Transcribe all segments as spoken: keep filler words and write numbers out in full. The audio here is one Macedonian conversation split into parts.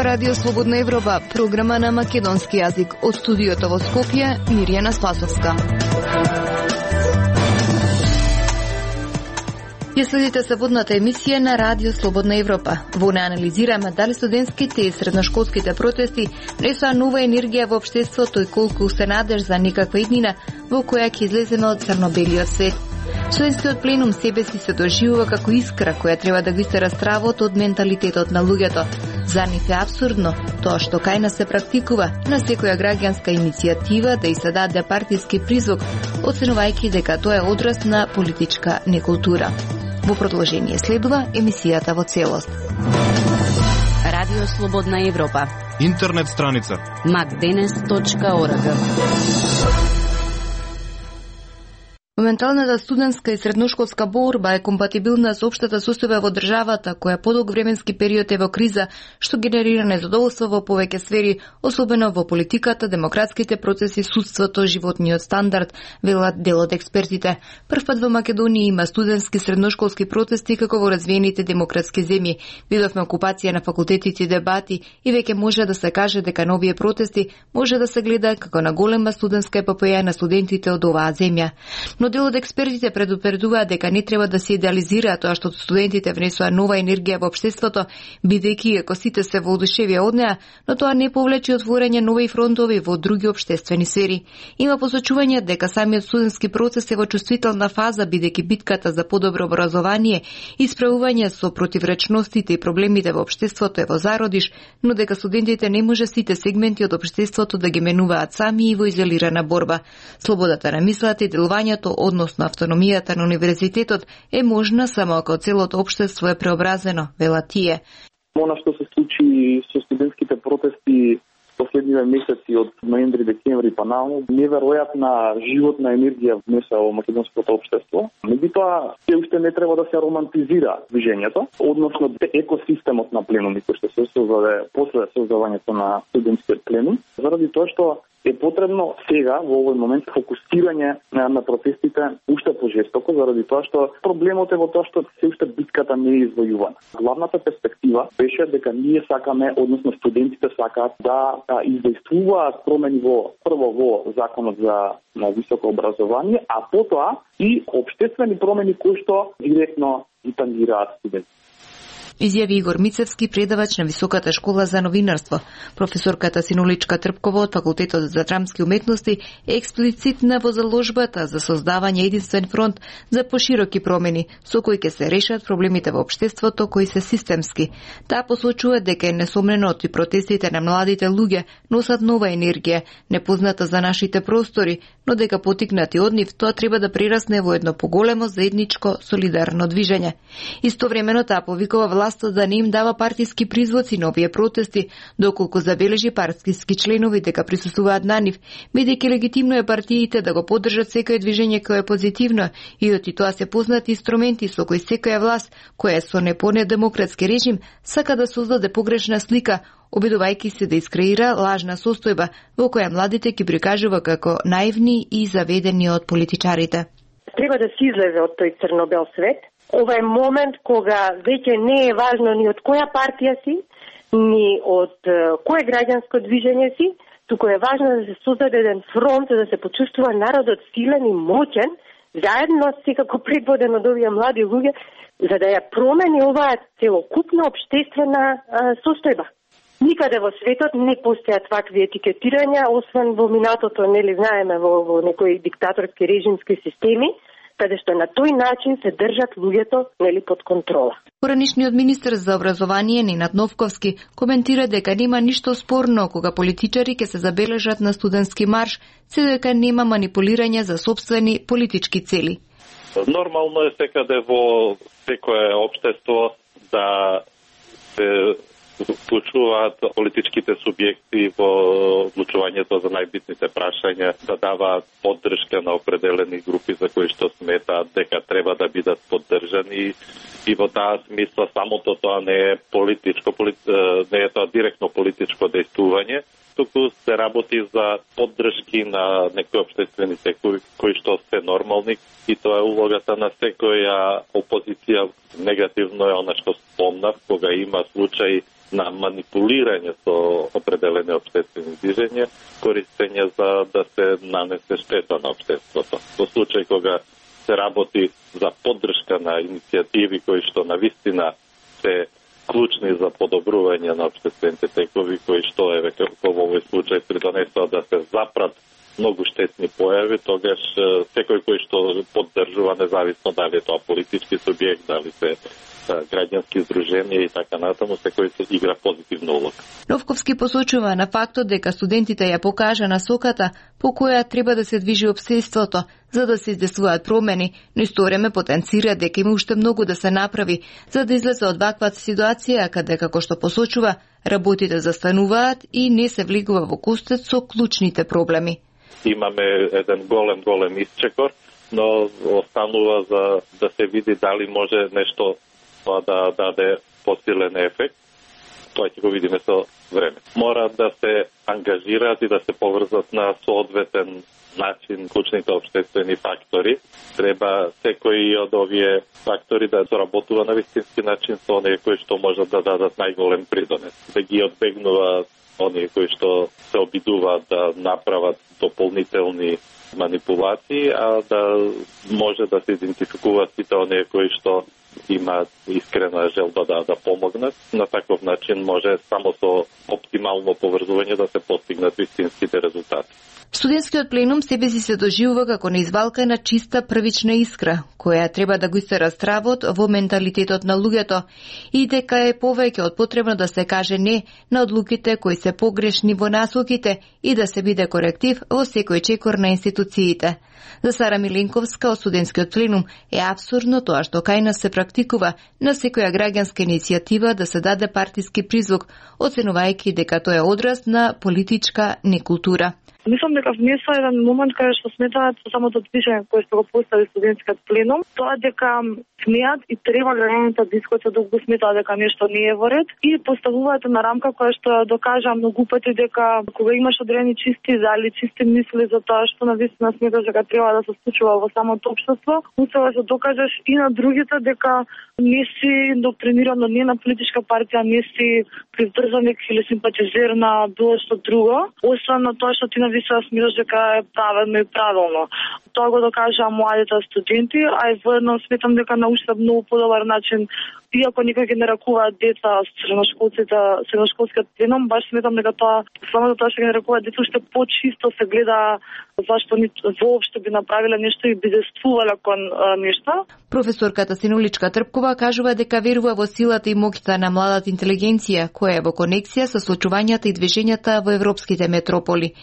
Радио Слободна Европа, програма на македонски јазик. Од студиото во Скопје, Мирјана Спасовска. Ја следите саботната емисија на Радио Слободна Европа. Во неја анализираме дали студентските и средношколските протести несоа нова енергија во општеството и колку се надеж за некаква иднина во која ќе излеземе од црно-белиот свет. Студентскиот пленум себе си се доживува како искра која треба да го истера стравот од менталитетот на луѓето. За нив е абсурдно тоа што кај нас се практикува на секоја граѓанска иницијатива да и се даде партиски призвук, оценувајќи дека тоа е одраз на политичка некултура. Во продолжение следува емисијата во целост. Радио Слободна Европа. Интернет страница макденес точка орг. Моменталната студентска и средношколска борба е компатибилна со општата состојба во државата, која подолг временски период е во криза, што генерира незадоволство во повеќе сфери, особено во политиката, демократските процеси, судството, животниот стандард, велат дел од експертите. Првпат во Македонија има студентски средношколски протести како во развиените демократски земји. Видовме окупација на факултетите и дебати и веќе може да се каже дека на овие протести може да се гледа како на голема студентска епопеја на студентите од оваа земја. Но дел од експертите предупредуваат дека не треба да се идеализира тоа што студентите внесоа нова енергија во општеството, бидејќи ако сите се воодушевија од неа, но тоа не повлече отворање нови фронтови во други општествени сфери. Има посочување дека самиот студентски процес е во чувствителна фаза, бидејќи битката за подобро образование и справување со противречностите и проблемите во општеството е во зародиш, но дека студентите не може сите сегменти од општеството да ги менуваат сами и во изолирана борба. Слободата на мислата и делувањето, односно автономијата на универзитетот, е можна само ако целото општество е преобразено, велат тие. Она што се случи со студентските протести последниве месеци од ноември, декември па наому, неверојатна животна енергија внесува во македонското општество. Меѓутоа, се уште не треба да се романтизира движењето, односно екосистемот на пленуми кој што се создаде после создавањето на студентскиот пленум, заради тоа што е потребно сега, во овој момент, фокусирање на протестите уште пожестоко, заради тоа што проблемот е во тоа што се уште битката не е извојувана. Главната перспектива беше дека ние сакаме, односно студентите сакаат да издействуваат промени во прво во законот за на високо образование, а потоа и општествени промени кои што директно ги тангираат студентите. Изјави Игор Мицевски, предавач на Високата школа за новинарство. Професорката Синуличка Трпкова од Факултетот за драмски уметности е експлицитна во заложбата за создавање единствен фронт за пошироки промени, со кои ќе се решат проблемите во општеството кои се системски. Таа посочува дека е несомнено и протестите на младите луѓе носат нова енергија, непозната за нашите простори, но дека потикнати од нив тоа треба да прерасне во едно поголемо заедничко солидарно движење. Истовремено таа повикува власта да не им дава партиски призвоци на овие протести, доколку забележи партиски членови дека присуствуваат на нив, бидејќи легитимно е партиите да го поддржат секое движење кое е позитивно и оти тоа се познати инструменти со кои секоја власт, која е со непонедемократски режим, сака да создаде погрешна слика, обидувајќи се да искреира лажна состојба во која младите ги прикажува како наивни и заведени од политичарите. Треба да се излезе од тој црно-бел свет. Ова е момент кога веќе не е важно ни од која партија си, ни од кое граѓанско движење си, туку е важно да се создаде еден фронт за да се почувствува народот силен и моќен, заедно секако предводен од овие млади луѓе, за да ја промени оваа целокупна општествена а, состојба. Никаде во светот не постојат вакви етикетирања, освен во минатото, нели знаеме, во, во некои диктаторски режимски системи, каде што на тој начин се држат луѓето нели под контрола. Поранишниот министер за образование Ненад Новковски коментира дека нема ништо спорно кога политичари ќе се забележат на студентски марш, се дека нема манипулирање за сопствени политички цели. Нормално е секаде во секое општество да се вклучуваат политичките субјекти во одлучувањето за најбитните прашања, да даваат поддршка на определени групи за кои што сметаат дека треба да бидат поддржани, и во таа смисла самото тоа не е политичко, не е тоа директно политичко дејствување, туку се работи за поддршки на некои општествени секои кои што се нормални, и тоа е улогата на секоја опозиција. Негативно е она што спомнав, кога има случаи на манипулирање со определени општествени движења, користење за да се нанесе штета на општеството. Во случај кога се работи за поддршка на иницијативи кои што навистина се клучни за подобрување на општествените текови, кои што еве како во овој случај придонесоа да се запрат многу штетни појави, тогаш секој кој што поддржува, независно дали е тоа политички субјект, дали се граѓански здруженија и така натаму, секој се игра позитивна улога. Новковски посочува на фактот дека студентите ја покажа насоката по која треба да се движи општеството за да се издесуваат промени, но исто време потенцира дека има уште многу да се направи за да излезе од ваква ситуација каде, како што посочува, работите застануваат и не се влегува во костет со клучните проблеми. Имаме еден голем, голем исчекор, но останува за да се види дали може нешто да даде посилен ефект. Тоа ќе го видиме со време. Мора да се ангажираат и да се поврзат на соодветен начин клучните општествени фактори. Треба секој од овие фактори да соработува на вистински начин со оние кои што можат да дадат најголем придонес. Да ги одбегнуваат оние кои што се обидуваат да направат дополнителни манипулации, а да може да се идентификуваат сите оние кои што имаат искрена желба да, да помогнат. На таков начин може само со оптимално поврзување да се постигнат вистинските резултати. Студентскиот пленум себе си се доживува како неизвалкана чиста првична искра, која треба да го истера стравот во менталитетот на луѓето и дека е повеќе од потребно да се каже не на одлуките кои се погрешни во насоките и да се биде коректив во секој чекор на институциите. За Сара Миленковска од студентскиот пленум е апсурдно тоа што кај нас се практикува на секоја граѓанска иницијатива да се даде партиски призвук, оценувајќи дека тоа е одраз на политичка некултура. Мислам дека внесува еден момент кај што сметаат со самото движење кое што го постави студентскиот пленум, тоа дека смеат и треба граѓаните да дискутат доколку го сметаат дека нешто не е во ред и поставуваат на рамка која што докажа многу пати дека кога имаш одредени чисти зали, чисти мисли за тоа што навистина сметаш дека треба да се случува во самото општество, успева да докажеш и на другите дека не си индоктриниран, не на политичка партија, не си приврзаник или симпатизер на било што друго, освен на тоа што ти навистина смираш дека е правилно и правилно. Тоа го докажаа младите студенти, а и воедно сметам дека на уште многу подобар начин, иако некои ги нарекуваат деца средношколците, средношколскиот пленум, баш сметам дека тоа, самото тоа што ги нарекуваат деца, уште почисто се гледа зашто ни воопшто би направиле нешто и би действувале кон а, нешто. Професорката Синуличка Трпкова кажува дека верува во силата и моќта на младата интелигенција, која е во конексија со случувањата и движењата во европските метрополи.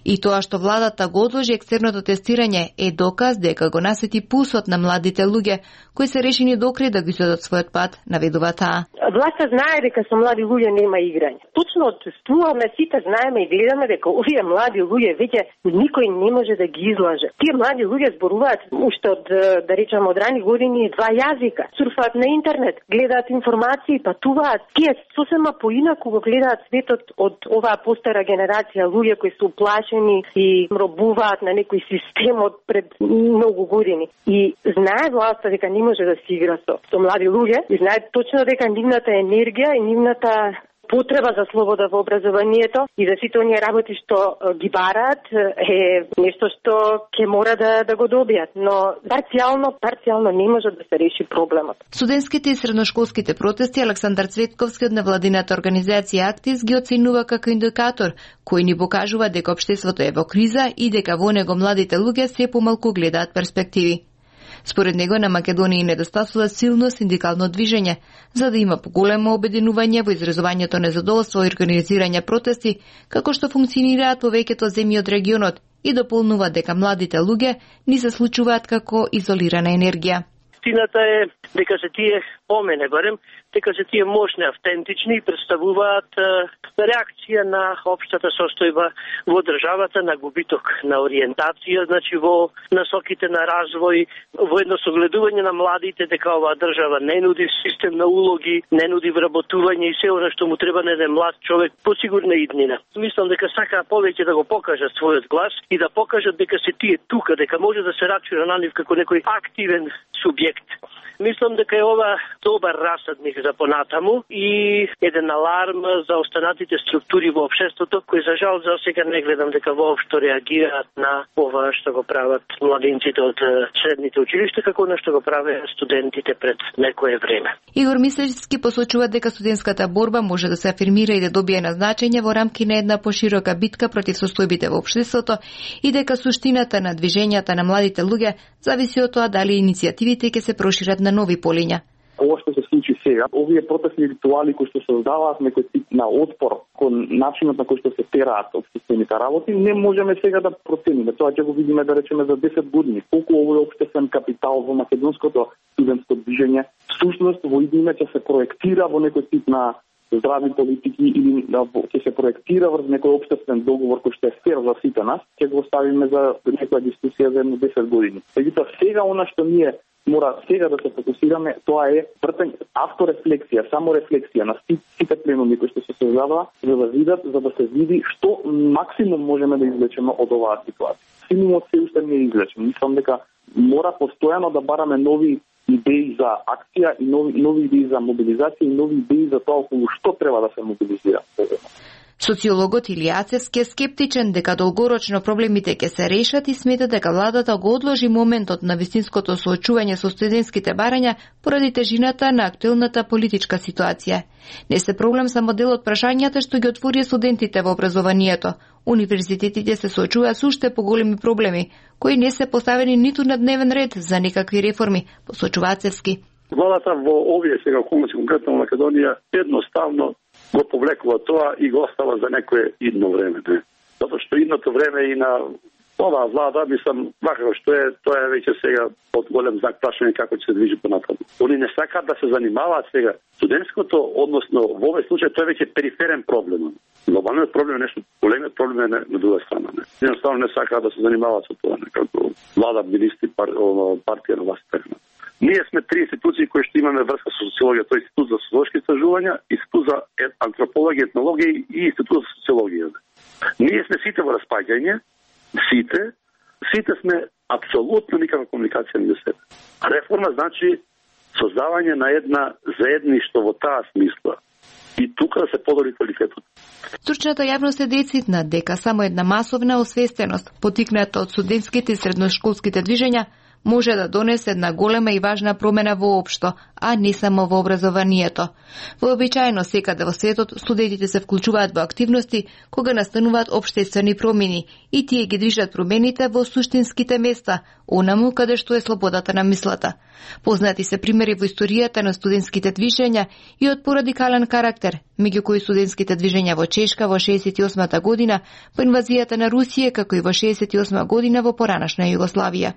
И тоа што владата го одложи екстерното тестирање е доказ дека го насети пулсот на младите луѓе кои се решени докрај да го изведат својот пат, наведува таа. Власта знае дека со млади луѓе нема играње. Точно отсуваме, сите знаеме и гледаме дека овие млади луѓе веќе никој не може да ги излаже. Тие млади луѓе зборуваат уште од, да речеме, од рани години два јазика. Сурфаат на интернет, гледаат информации, патуваат. Тие сосема поинаку го гледаат светот од оваа постара генерација луѓе кои се уплашени и робуваат на некој систем од пред многу години. И знае власта дека не може да се игра со, со млади луѓе и знае точно дека нивната енергија и нивната потреба за слобода во образованието и за сите оние работи што ги бараат е нешто што ќе мора да, да го добијат, но парцијално, парцијално не може да се реши проблемот. Студентските и средношколските протести Александар Цветковски од невладината организација Актис ги оценува како индикатор кој ни покажува дека општеството е во криза и дека во него младите луѓе се помалку гледаат перспективи. Според него на Македонија недостасува силно синдикално движење, за да има поголемо обединување во изразувањето незадоволство и организирање протести, како што функционираат повеќето земји од регионот и дополнува дека младите луѓе ни се случуваат како изолирана енергија. Истината е дека се тие, по мене барем, дека се тие мощни, автентични и представуваат е, реакција на општата состојба во државата, на губиток на ориентација, значи во насоките на развој, во едно согледување на младите дека оваа држава не нуди систем на улоги, не нуди вработување и се оно што му треба на еден млад човек по сигурна иднина. Мислам дека сакаа повеќе да го покажат својот глас и да покажат дека се тие тука, дека може да се рачуна на нив како некој активен субјект. Мислам дека е ова добар расад меѓу за понатаму и еден аларм за останатите структури во општеството кои за жал за сега не гледам дека воопшто реагираат на ова што го прават младинците од средните училишта, како на што го правеа студентите пред некое време. Игор Мислевски посочува дека студентската борба може да се афирмира и да добие назначење во рамки на една поширока битка против состојбите во општеството и дека суштината на движењата на младите луѓе зависи од тоа дали иницијативите ќе се прошират на нови полиња. Ова што се случи сега, овие протестни ритуали кои што создаваат некој тип на отпор кон начинот на кој што се тераат општествените работи, не можеме сега да процениме. Тоа ќе го видиме да речеме за десет години. Колку овој општествен капитал во македонското студентско движење всушност во идниме ќе се проектира во некој тип на здрави политики или да ќе се проектира врз некој општествен договор кој што е фер за сите нас, ќе го оставиме за некоја дискусија за едно десет години. Меѓутоа сега она што ние мора сега да се фокусираме, тоа е вртење, авторефлексија, саморефлексија на сите пленуми кои што се создаваа, за да видат, за да се види што максимум можеме да извлечеме од оваа ситуација. Минимумот се уште не е извлечен. Мислам дека мора постојано да бараме нови идеи за акција и нови, нови идеи за мобилизација и нови идеи за тоа околу што треба да се мобилизира. Социологот Илијацевски е скептичен дека долгорочно проблемите ќе се решат и смета дека владата го одложи моментот на вистинското соочување со студентските барања поради тежината на актуелната политичка ситуација. Не се проблем само дел од прашањата што ги отвори студентите во образованието. Универзитетите се соочуваат со уште поголеми проблеми, кои не се поставени ниту на дневен ред за некакви реформи, посочува Цевски. Владата во овие сега околности, конкретно во Македонија, едноставно го повлекува тоа и го остава за некое идно време. Не? Затоа што идното време и на оваа влада, мислам, вака што е, тоа е веќе сега од голем знак прашање како ќе се движи понатаму. Они не сакаат да се занимаваат сега. Студентското, односно во овој случај, тоа е веќе периферен проблем. Глобалниот проблем е нешто, големиот проблем е на друга страна. Не? Едноставно не сакаат да се занимаваат со тоа, некако влада, министри, пар, партија на власт. Ние сме три институции кои што имаме врска со социологија, тоа е Институт за социолошки истражувања, Институт за антропологија, етнологија и Институт за социологија. Ние сме сите во распаѓање, сите, сите сме апсолутно никаква комуникација меѓу себе. Реформа значи создавање на една заедништво во таа смисла. И тука да се подобри квалитетот. Стручната јавност е децитна дека само една масовна освестеност, потикната од студентските и средношколските движења, може да донесе една голема и важна промена воопшто, а не само во образованието. Вообичаено секаде во светот студентите се вклучуваат во активности кога настануваат општествени промени и тие ги движат промените во суштинските места, онаму каде што е слободата на мислата. Познати се примери во историјата на студентските движења и од порадикален карактер, меѓу кои студентските движења во Чешка во шеесет и осма година, по инвазијата на Русија, како и во шеесет и осма година во поранашна Југославија.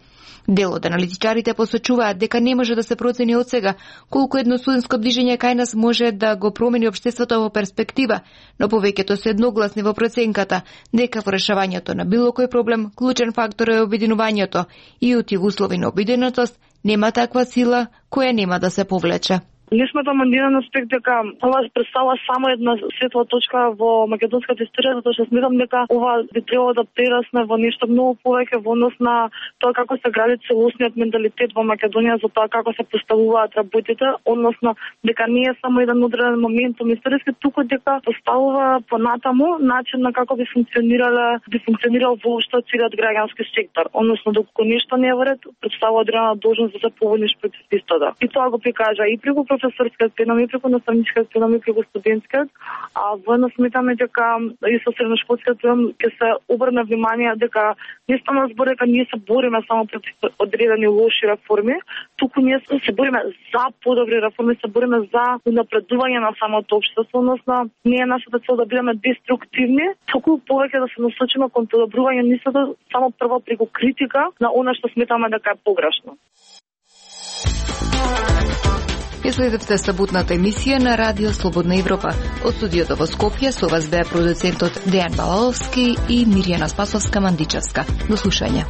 Дел од аналитичарите посочуваат дека не може да се процени од сега колку едно студентско движење кај нас може да го промени општеството во перспектива, но повеќето се едногласни во проценката дека во решавањето на било кој проблем клучен фактор е обединувањето и утив услови на обединетост нема таква сила која нема да се повлече. Не сметам еден аспект дека ова представува само една светла точка во македонската историја, затоа што сметам дека ова би требало да прерасне во нешто многу повеќе во однос на тоа како се гради целосниот менталитет во Македонија, за тоа како се поставуваат работите, односно дека не е само еден одреден моментум историски, туку дека поставува понатаму начин на како би функционирале, би функционирал воопшто целиот граѓански сектор, односно доколку нешто не е во ред, представува одредена должност да се побуниш против истота. И тоа го прикажа и преку професорскиот пленум, и преку наставничкиот пленум, и преку студентскиот, а воедно сметаме дека и со средношколскиот пленум ќе се обрне внимание дека не стана збор дека ние се бориме само против одредени лоши реформи, туку ние се бориме за подобри реформи, се бориме за унапредување на самото општество, односно не е нашата цел да бидеме деструктивни, туку повеќе да се насочиме кон подобрување нисото само прво преку критика на она што сметаме дека е погрешно. Ја следевте саботната емисија на Радио Слободна Европа. Од студиото во Скопје со вас беа продуцентот Дејан Балаловски и Мирјана Спасовска-Мандичевска. До слушање.